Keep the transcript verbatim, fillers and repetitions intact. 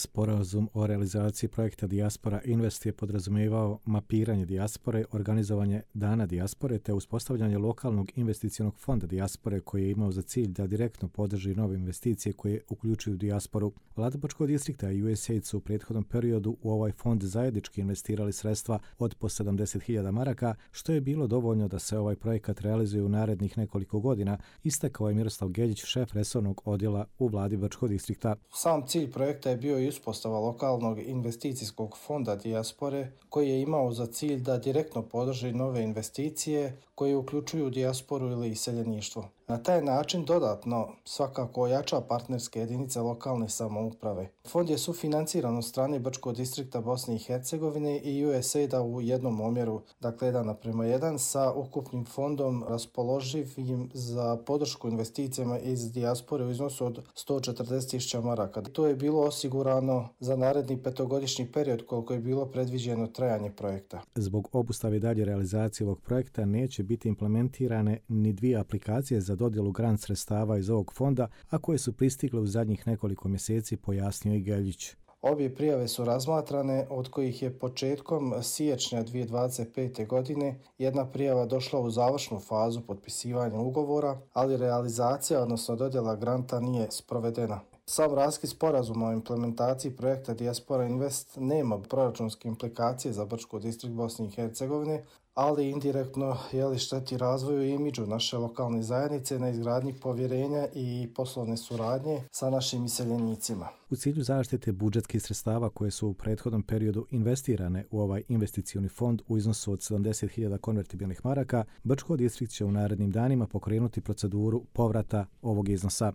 Sporazum o realizaciji projekta Dijaspora Invest je podrazumijevao mapiranje dijaspore, organizovanje dana dijaspore te uspostavljanje lokalnog investicionog fonda dijaspore koji je imao za cilj da direktno podrži nove investicije koje uključuju dijasporu. Vlada Bačkog distrikta i U S A I D su u prethodnom periodu u ovaj fond zajednički investirali sredstva od po sedamdeset hiljada maraka, što je bilo dovoljno da se ovaj projekat realizuje u narednih nekoliko godina, istakao je Miroslav Geljić, šef resornog odjela u Vladi Bačkog distrikta. Sam cilj projekta je bio i uspostava lokalnog investicijskog fonda dijaspore koji je imao za cilj da direktno podrži nove investicije koje uključuju dijasporu ili iseljeništvo. Na taj način dodatno svakako ojača partnerske jedinice lokalne samouprave. Fond je sufinanciran od strane Bačkog distrikta Bosne i Hercegovine i U S A I D-a u jednom omjeru, dakle jedan naprema jedan, sa ukupnim fondom raspoloživim za podršku investicijama iz dijaspore u iznosu od sto četrdeset tisuća maraka. To je bilo osigurano za naredni petogodišnji period koliko je bilo predviđeno trajanje projekta. Zbog obustave dalje realizacije ovog projekta neće biti implementirane ni dvije aplikacije za dodjelu grant sredstava iz ovog fonda, a koje su pristigle u zadnjih nekoliko mjeseci, pojasnio i Geljić. Obje prijave su razmatrane, od kojih je početkom siječnja dvije tisuće dvadeset pete. godine jedna prijava došla u završnu fazu potpisivanja ugovora, ali realizacija, odnosno dodjela granta, nije sprovedena. Sam raskid sporazuma o implementaciji projekta Dijaspora Invest nema proračunske implikacije za Bački distrikt Bosne i Hercegovine, ali indirektno jeli šteti razvoju i imidžu naše lokalne zajednice na izgradnji povjerenja i poslovne suradnje sa našim iseljenicima. U cilju zaštite budžetskih sredstava koje su u prethodnom periodu investirane u ovaj investicioni fond u iznosu od sedamdeset hiljada konvertibilnih maraka, Bački distrikt će u narednim danima pokrenuti proceduru povrata ovog iznosa.